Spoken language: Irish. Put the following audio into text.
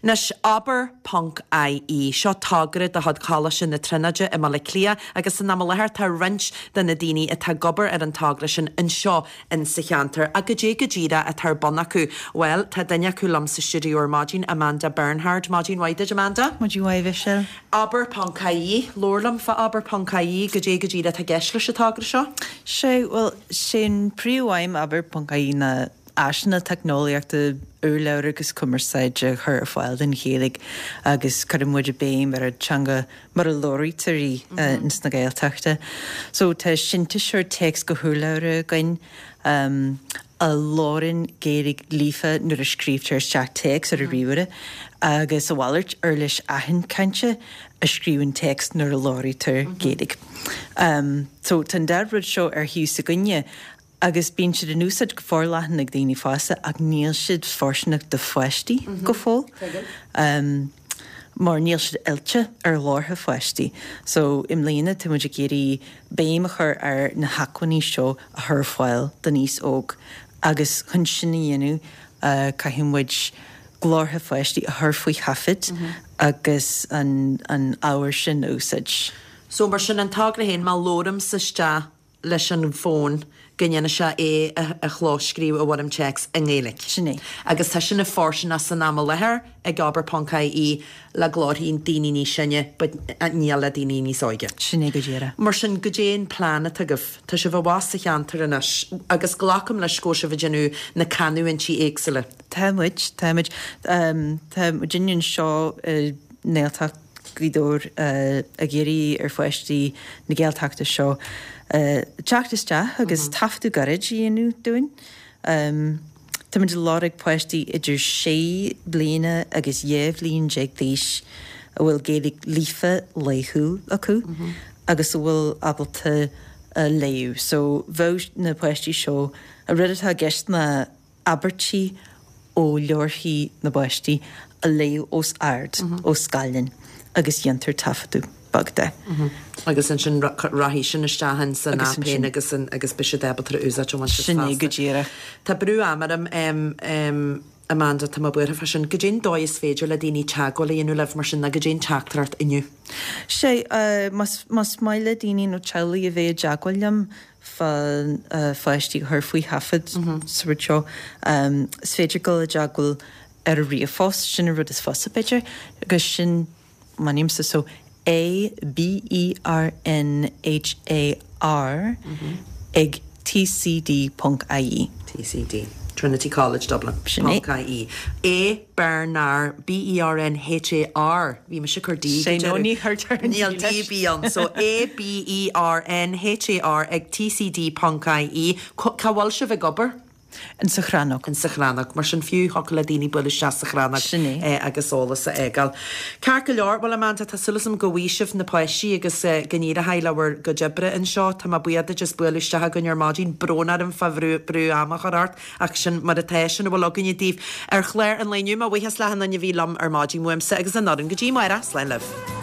Anois, Abair ponc IE, seo togra de chuid Choláiste na Tríonóide i mBaile Átha Cliath agus san am i láthair tá roinnt de na daoine atá ag obair ar an togra sin anseo in sa cheantar. Ach goidé go díreach atá ar bun acu? Bhuel, tá duine acu liom sa stiúideo ar maidin, Amanda Bernhard. Maidin mhaith duit, Amanda. Maidin mhaith, Mhichelle. Abair ponc IE, Labhair liom fá Abair ponc IE, goidé go díreach atá i gceist leis an togra seo? Sea, bhuel, sé an príomhaidhm Abair ponc IE ná áiseanna teicneolaíochta, urlabhra agus cumarsáide a chur ar fáil don Ghaeilge agus cuireann muid béim ar an teanga mar a labhraítear í ins na Gaeltachta. So tá sintéiseoir téacs go hurlabhra againn a labhrann Gaeilge líofa nuair a scríobhtar isteach téacs ar an ríomhaire agus a mhalairt, uirlis aithint cainte a scríobhann téacs nuair a labhraítear Gaeilge. So tá an dá rud seo ar thaobh s'againne Agus bíonn siad in úsáid go forleathan ag daoine fásta ach níl siad fóirsteanach do pháistí go fóill mar níl siad oilte ar ghlórtha pháistí. So i mbliana tá muid ag iarraidh béim a chur ar na hacmhainní seo a chur ar fáil don aos óg agus chun sin a dhéanamh caithfidh muid glórtha pháistí a chur faoi thaifead agus an ábhar sin a úsáid. So mar sin an togra féin má labhraímse isteach leis an bhfón go ndéanfaidh sé é a chlóscríobh i bhfoirm téacs i nGaeilge. Sin é. Agus tá sin fóirsteanach san am i láthair ag Abair ponc IE le glórthaí daoine níos sine but níl le daoine níos óige. Sin é go díreach. Mar sin, goidé an plean atá agaibh? Tá sibh abhus sa cheantar anois agus glacaim leis go bhfuil sibh ag déanamh na canúintí éagsúla. Tá muid, tá muid. Tá muidinne anseo i nGaeltacht Ghaoth Dobhair ag iarraidh ar pháistí na Gaeltachta seo teacht isteach agus taifeadadh gairid a dhéanamh dúinn. Táimid ag lorg páistí idir sé bliana agus 12 bhliain d'aois a bhfuil Gaeilge líofa laethúil acu agus a bhfuil ábalta léamh. So bheadh na páistí seo, an rud atá i gceist ná abairtí ó leabharthaí na bpáistí a léamh os ard ó scáileán agus dhéantar taifeadadh beag de. Agus ansin rachaidh sin isteach in san aip féin agus agus beidh siad ábalta a úsáid an Sin é go díreach. Tá brú ama orm Amanda, tá mé buartha fá sin. Goidé an dóigh is féidir le daoine teagmháil a dhéanamh libh mar sin nó goidé an teachtaireacht inniu? Sé, más maith le daoine nó teaghlaigh a bheith i dteagmháil liom, fá pháistí a chur faoi thaifead sa rud seo. Is féidir dul i dteagmháil ar an ríomhphost, sin an rud is fusa b'fhéidir, agus sin m'ainmse so A B E R N H A R ag tcd ponc ie. TCD, Trinity College Dublin, Sin é. ponc ie. A Bernhar, B E R N H A R, bhí mise ag cur D go deireadh. Ní chuirtear an D leis. Níl D B ann, so A B E R N H A R ag tcd ponc ie. Cá bhfuil sibh ag obair? In sa Chrannóg. In sa Chrannóg. Mar sin fiú thiocfadh le daoine bualadh isteach sa Chrannóg Sin é. agus eolas a fhágáil. Ceart go leor, bhuel Amanda, tá súil agam go bhfaighidh sibh na páistí agus go n-éireoidh le bhur gcuid oibre anseo. Tá mé buíoch duit as bualadh isteach againn ar maidin. Brón orm fá bhrú ama a chur ort. Ach sin mar atá, sin a bhfuil againne daoibh ar chlár an lae inniu. Mo bhuíochas le achan duine a bhí liom ar maidin uaimse agus an fhoireann go dtí amárach. Slán libh.